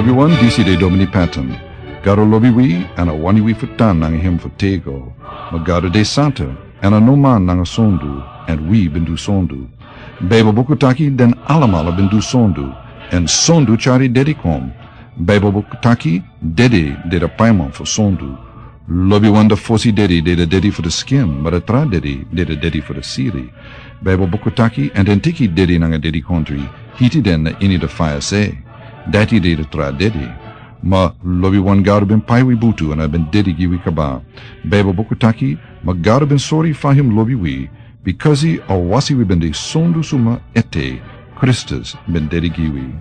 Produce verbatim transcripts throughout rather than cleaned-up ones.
Wi wan disi de Domini Patton. Gado lobi wi, èn a wani wi fu tan nanga hem fu tego. Ma Gado de santa, èn a no man nanga sondu, èn wi ben du sondu. Baibel buku taki den alamala ben du sondu, èn sondu tyari dedi kon. Baibel buku taki dedi de de paiman fu sondu. Lobiwan, de fosi dedi de de dedi fu de skin, ma de tra dedi de de dedi fu de siri. Baibel buku taki, èn den teki dedi nanga dedikontri, hiti den na ini de faya se. Dati de de tra dedi. Ma lobiwan, Gado ben pai wi butu èn a ben dedi gi wi kaba. Baibel buku taki, ma Gado ben sori fa hem lobi wi, bikasi a wasi wi ben de sondu suma ete, Kristus ben dedi gi wi.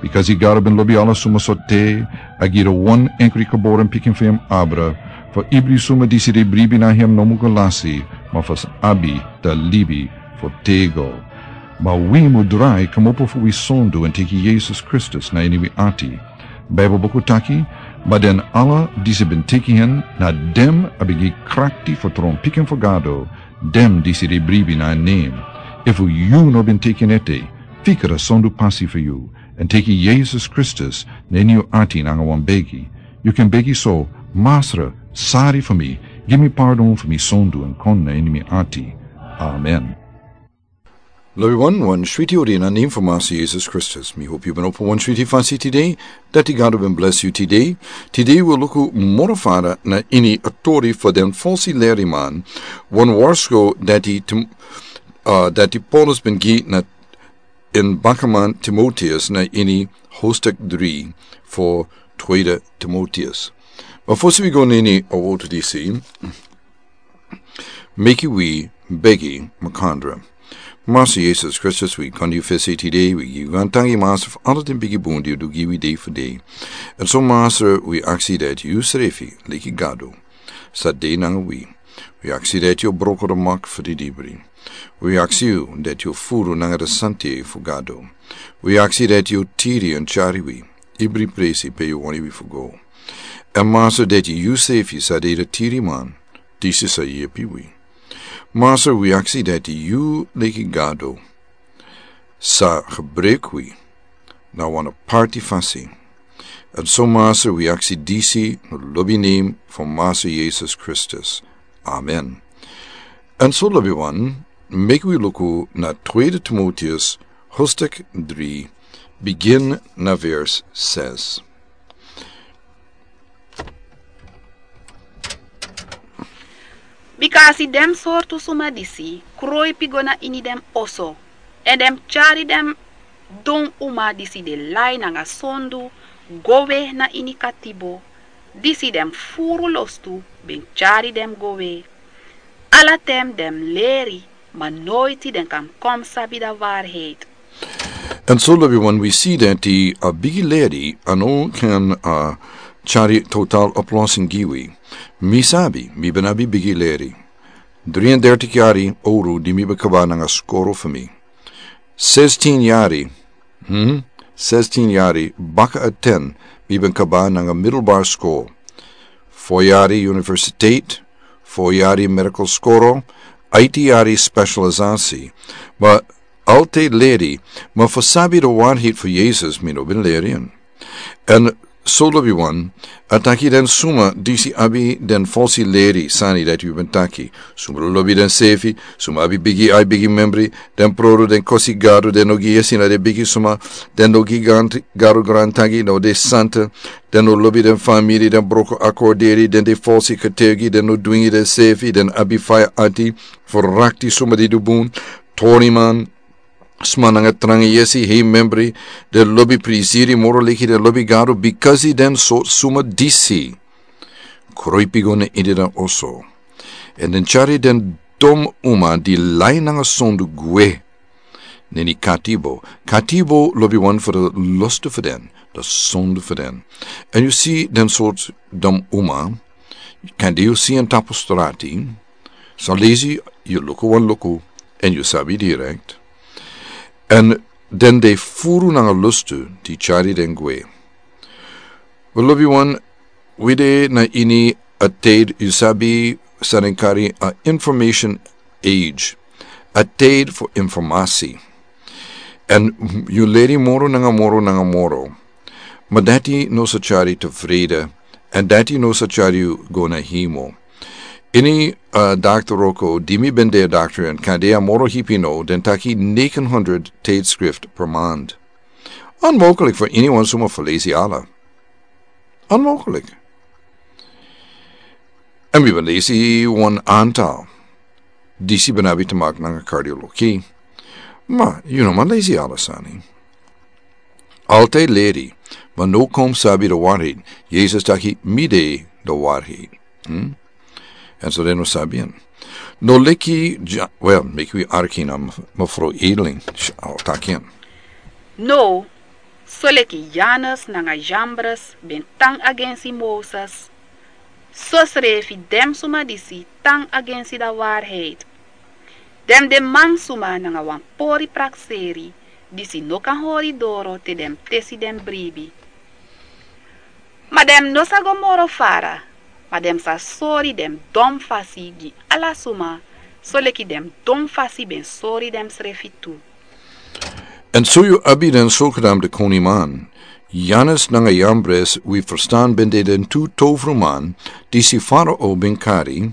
Bikasi Gado ben lobi ala suma so te, a gi de wan enkri geboren pikin fu hem abra, fu ibri suma disi de bribi na hem no mu go lasi, ma fu abi de libi fu tego. Ma wi mu drai kmopo fu wi sondu èn teki Yesus Kristus na ini wi ati. Baibel buku taki, ma den ala disi ben teki hen, na den a ben gi krakti fu tron pikin fu Gado, den disi de bribi na en nen. Efu yu no ben teki en ete, fika a sondu pasi fu yu, èn teki Yesus Kristus na ini yu ati nanga wan begi. Yu kan begi so: Masra, sari fu mi, gi mi pardon fu mi sondu èn kon na ini mi ati. Amen. Lobiwan, wan switi odi na nen fu Masra Yesus Kristus. Mi hopi yu ben opo wan switi fasi tide, dati Gado ben blesi yu tide. Tide wi luku moro fara na ini a tori fu den fosi leriman, wan warsko dati Tim-, ah, dati Paulus ben gi na en bakaman Timoteus na ini hoofdstuk dri fu tweede Timoteus. Ma fosi wi go na ini a wotu disi, meki wi begi makandra. Masra Yesus Kristus, wi kon na yu fesi tide, wi gi yu grantangi, Masra, fu ala den bigi bun di yu du gi wi dei fu dei. Èn so, Masra, wi aksi dati yu srefi, leki Gado, sa de nanga wi. Wi aksi dati yu broko de mak fu didibri. Wi aksi yu dati yu furu nanga de santei fu Gado. Wi aksi dati yu tiri èn tyari wi ibri presi pe yu wani wi fu go. Èn Masra, dati yu srefi sa de de tiriman, disi sa yepi wi. Masra, wi aksi dati yu leki Gado sa gebruik wi na wan aparti fasi. Èn so, Masra, wi aksi disi na lobi nen fu Masra Yesus Kristus. Amen. Èn so, lobiwan, meki wi luku na tweede Timoteus hoofdstuk dri, bigin na vers ses. Bika a si den sortu suma disi kroipi go na ini den oso, èn den tyari den don uma disi de lai nanga sondu go we na ini katibo, disi den furu lostu ben tyari den go we. Ala ten den leri, ma noiti den kan kon sabi da waarheid. Èn so, lobiwan, wi si dati a bigi leri a no kan, ah, tyari total oplossing gi wi. Mi sabi, mi ben abi bigi leri. Drieëndertig yari owru di mi ben kaba nanga skoro fu mi. Zestien yari, hmm? Zestien yari baka a ten, mi ben kaba nanga middelbare skol. Fo yari universiteit, fo yari medical skoro, aiti yari specialisasi. Ma altijd leri, ma fu sabi de waarheid fu Yesus, mi no ben leri en. Èn so, lobiwan, a taki den suma disi abi den falsi leri sani dati wi ben taki. Suma lobi densefi, suma abi bigi ai, bigi membri, den produ, den kosi Gado, den no gi yesi na den bigi suma, den no gi gran-, Gado grantangi, no de santa, den no lobi den famiri, den broko akorderi, den de falsi getuigi, den no dwingi densefi, den abi faya ati, fu rakti suma di du bun, toriman, sma nanga tranga yesi, hei membri, den lobi prisiri moro leki den lobi Gado, bikasi den sortu suma disi kroipi go na ini den oso. Èn den tyari den don uma di lai nanga sondu gwe na ini katibo. Katibo, lobiwan, fu de lostu fu den, de sondu fu den. Èn yu si den sortu don uma, kande yu si en tapu strati, san leisi yu luku wan luku, èn yu sabi direkt. Èn den de furu nanga lostu di tyari den gwe. Wel, lobiwan, wi de na ini a tijd, yu sabi, san den kari a information age. A tijd fu informasi. Èn yu leri moro nanga moro nanga moro. Ma dati no sa tyari tafreda, èn dati no sa tyari yu go na himo. Ini, uh, dakter Roko, di mi ben de dakter èn kande a moro hipi no, den taki negen honderd tijdschrift per maand. Onmogelijk voor anyone suma felesi ala. Onmogelijk. En mi ben lesi wan antal. Disi ben abi te maken nanga cardiologie. Ma, you know, man lesi ala sani. Altijd leri, ma no kom sabi de waarheid. Jezus taki mi de de waarheid. Hmm? En so den no sabi en. No leki, ja, well, meki wi arki na mevrouw Edeling. Sh-, al taki en. No, soleki Jannes nanga Jambres ben tan agensi Moses, sosrefi den suma disi tan agensi da waarheid. Den de mansuma nanga wan pori prakseri, disi no kan hori doro te den tesi den bribi. Ma den no sa go moro fara, ma den sa sori den don fasi gi ala suma, soleki den don fasi ben sori den srefi tu. En so yu abi den zogenaamde koninman, Jannes nanga Jambres, wi verstaan ben de den tu toverman, disi Farao ben kari,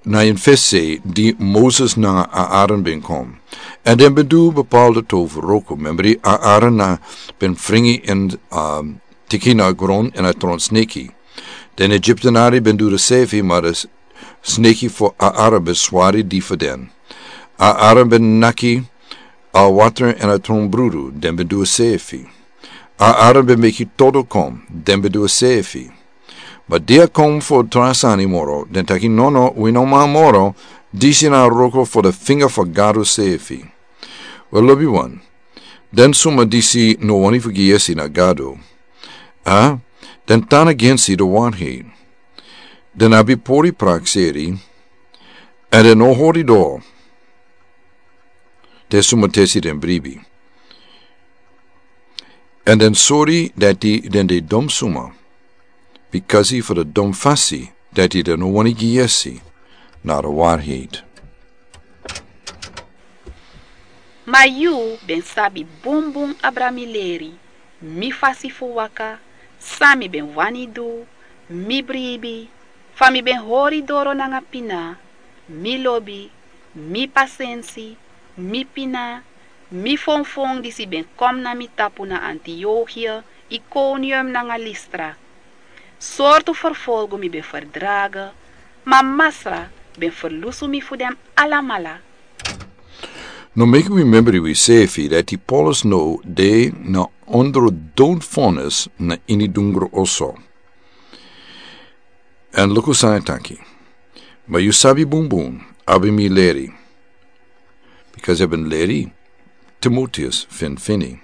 na en fesi di Moses nanga Aaron ben kom. En den ben du bepaalde tover Roko, memri Aaron na ben fringi en, um, tiki na gron en a tron sneki. Den Egyptenari ben du de sefi, ma de s-, sneki fu Aaron ben swari di fu den. Aaron ben naki a water en a tron brudu, den ben du sefi. Aaron ben meki todo kom, den ben du sefi. Ma dia kom fu tra sani moro, den taki nono, wi no man moro, disi na Roko fu de finga fu Gado sefi. Wel, lobi wan, den suma disi no wani fu gi yesi na Gado. A, den tan agensi de waarheid. Den abi pori prakseri, en den no hori doro. Te suma tesi den bribi. En den sori dati den de dom suma. Bikasi fu de dom fasi dati den no wani gi yesi na de waarheid. Ma yu ben sabi bunbun abra mi leri, mi fasi fu waka, san mi ben wani du, mi bribi, fa mi ben hori doro nanga pina, mi lobi, mi pasensi, mi pina, mi fonfon disi ben kom na mi tapu na Antiochia, Iconium nanga Lystra. Sortu ferfolgu mi ben ferdrage, ma Masra ben ferlusu mi fu den alamala. No meki wi memri wi sefi dati Paulus no de na ondro doodvonnis na ini dungro oso. En luku san a taki. Ma yu sabi bunbun, abi mi leri. Bikasi a ben leri, Timoteus finfini.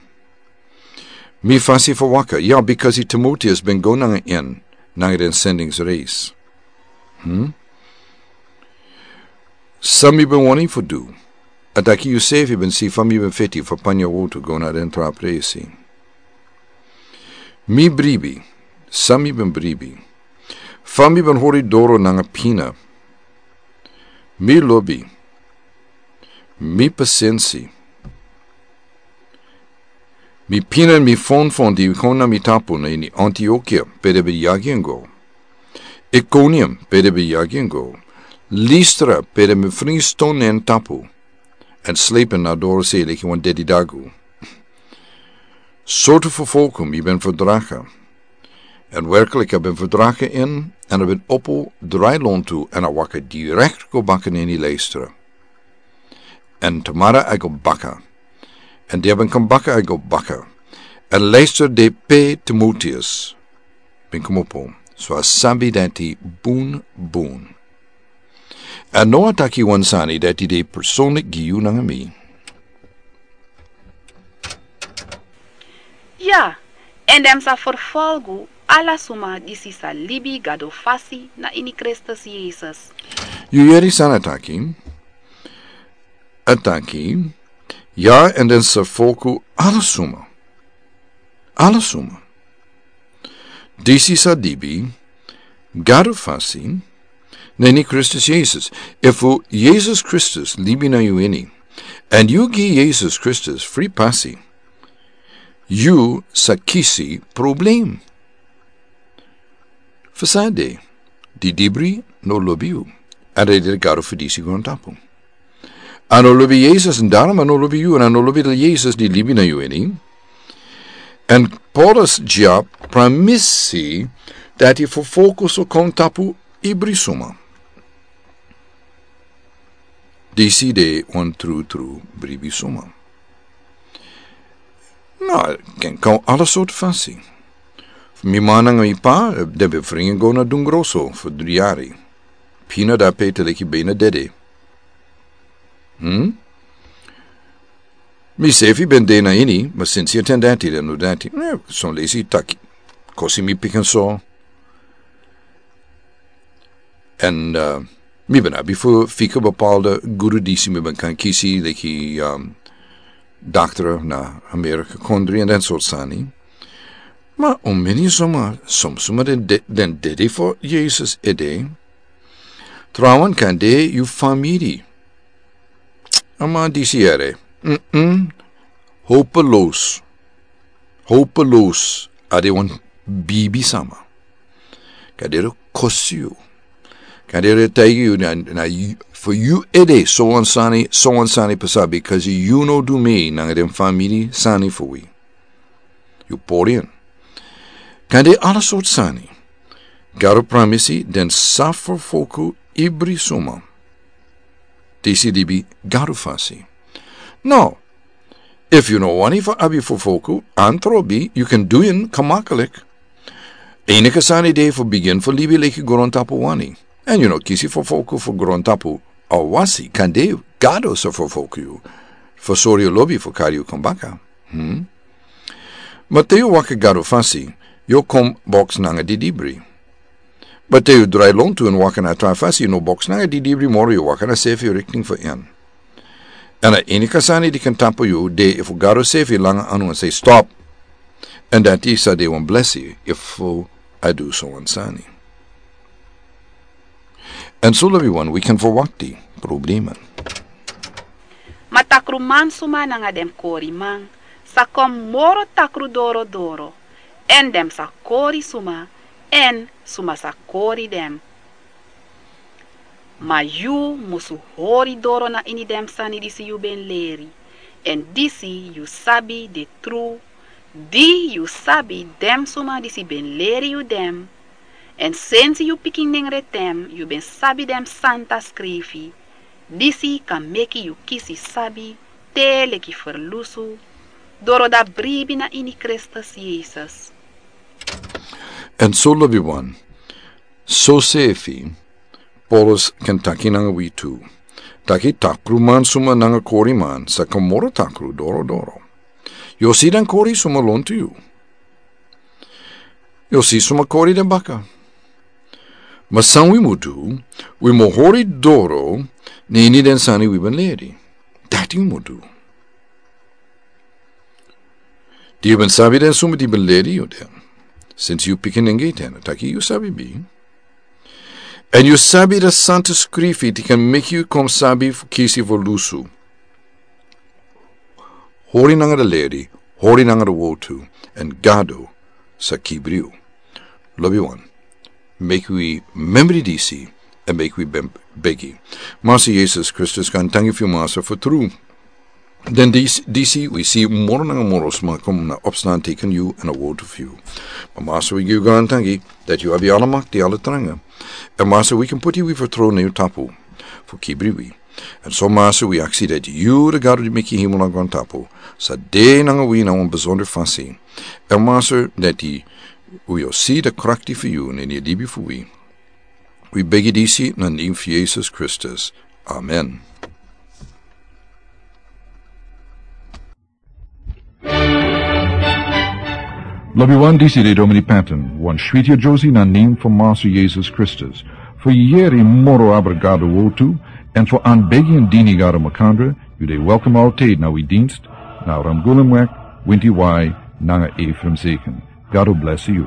Mi fasi fu waka, ya, bikasi Timoteus ben go nanga en, nanga den sendingsreis. Hmm? San mi ben wani fu du, a taki yu sefi ben si fa mi ben feti fu panya wotu go na den tra presi. Mi bribi, san mi ben bribi. Fa mi ben hori doro nanga pina. Mi lobi, mi pasensi. Mi pina en mi fonfon di kon na mi tapu na ini Antiochia, pe den ben yagi en go. Iconium, pe den ben yagi en go. Lystra, pe den ben fringi ston na en tapu. En slepen na doro sei leki wan dedi dagu. Sortu ferfolgu mi ben ferdrage. En werkelijk a ben ferdrage en, en a ben opo drai lontu en a waka direct go baka na ini Lystra. En tomorrow a go baka. En dia ben kon baka a go baka. En Lystra de pe Timoteus ben komopo. So a sabi dati bun bun. En no a taki wan sani dati de persoonlijk gi yu nanga mi. Ya, en den sa ferfolgu ala suma disi sa libi Gado fasi na ini Kristus Yesus. Yu yeri san a taki? A taki, ya, en den sa ferfolgu ala suma. Ala suma. Disi sa libi Gado fasi na ini Kristus Yesus. Efu Yesus Kristus libi na yu ini, en yu gi Yesus Kristus fri pasi, yu sa kisi problem. Fu san de, di dibri no lobi yu, èn a no lobi Gado fu disi grontapu. A no lobi Yesus, èn daarom a no lobi yu, èn a no lobi di Yesus di libi na yu ini. Èn Paulus dya pramisi dati fu fokus o kon tapu ibri suma. Disi de wan trutru bribi suma. No, ken kon ala sortu fasi. Mi man nanga mi pa, den ben fringi go na Dun Grosso fu dri yari. Pina dape te leki bina dede. Hmm? Mi sefi ben de na ini, ma sinsi a ten dati den no dati. Eh, son leisi taki. Kosi mi pikin so. Èn, eh, mi ben abi fu fika bepaalde gudu disi mi ben kan kisi, leki, ehm, dokter na Amerika kondri èn den sortu sani. Ma un meni suma, som suma den de-, den dede fu Yesus ede. Trawan kan de yu famiri. A man disi ere. Mm-mm. Hopeloos. Hopeloos. A de wan bibi sama. Kan de kosi yu. Kan de taigi yu na, na yu, fu yu ede, so wan sani, so wan sani pasa, because yu no du mi, nanga den famiri sani fu wi. Yu pori en. Kan de ala sortu sani. Gado pramisi den sa fu foku ibri suma. Disi libi Gado fasi. No. Efu yu no wani fu abi fu foku, antrobi, yu kan du en gemakkelijk. Enige sani de fu bigin fu libi leki grontapu wani. Èn yu no kisi fu foku fu grontapu awasi, kan de Gado sa fu foku yu. Fu sori yu lobi fu kari yu kon baka. Hmm? Ma te yu waka Gado fasi, yu kon boks nanga di dibri. Ma te yu drai lontu èn waka na tra fasi, yu no boks nanga di dibri moro, yu waka na sefi rikting fu en. Èn a enige sani di kan tapu yu, de efu Gado sefi langa anu èn sei stop. Èn dati sa de wan blesi efu a du so wan sani. Èn so lobi wan wi kan verwakti problemen. Ma takruman suma nanga den koriman sa kon moro takru doro doro, èn den sa kori suma, èn suma sa kori den. Ma yu musu hori doro na ini den sani disi yu ben leri, èn disi yu sabi de tru, di yu sabi den suma disi ben leri yu den. Èn sensi yu pikin nengre ten yu ben sabi den santa skrifi, disi kan meki yu kisi sabi te leki ferlusu, doro dati bribi na ini Kristus Yesus. Èn so lobi wan, sosefi Paulus kan taki nanga wi tu. Taki takruman suma nanga koriman sa kon moro takru doro doro. Yu o si den kori suma lontu yu. Yu o si suma kori den baka. Ma san wi mu du, wi mu hori doro na ini den sani wi ben leri. Dati wi mu du. Di yu ben sabi den suma di ben leri yu den. Sensi yu pikin nengre ten, a taki yu sabi mi. Èn yu sabi den santa skrifi di kan meki yu kon sabi fu kisi fu lusu. Hori nanga den leri, hori nanga den wotu, èn Gado sa kibri yu. Lobi wan. Meki wi memri disi, èn meki wi ben-, begi. Masa Yesus Kristus, gaantangi fu yu Masa fu tru. Den dis-, disi wi si moro nanga moro sma kon na opstan teken yu èn a wotu fu yu. Ma Masa wi gi yu gaantangi, dati yu abi ala makti, ala tranga. Èn Masa wi kan puti wi fertrow na yu tapu, fu kibri wi. Èn so Masa wi aksi dati yu, den Gado di meki hemel nanga grontapu, sa de nanga wi na wan besonder fasi. Èn Masa dati wi o si den krakti fu yu na ini a libi fu wi. Wi begi disi na nen fu Yesus Kristus. Amen. Lobi wan, disi de Domini Patton, wan switi yari na nen fu Masa Yesus Kristus. Fu yere moro abra Gado wotu, èn fu anbegi èn dini Gado makandra, yu de welkom altijd na wi dienst, na Ramgulumweg, winti wai, nanga Ephraim Zeken. Gado blesi yu.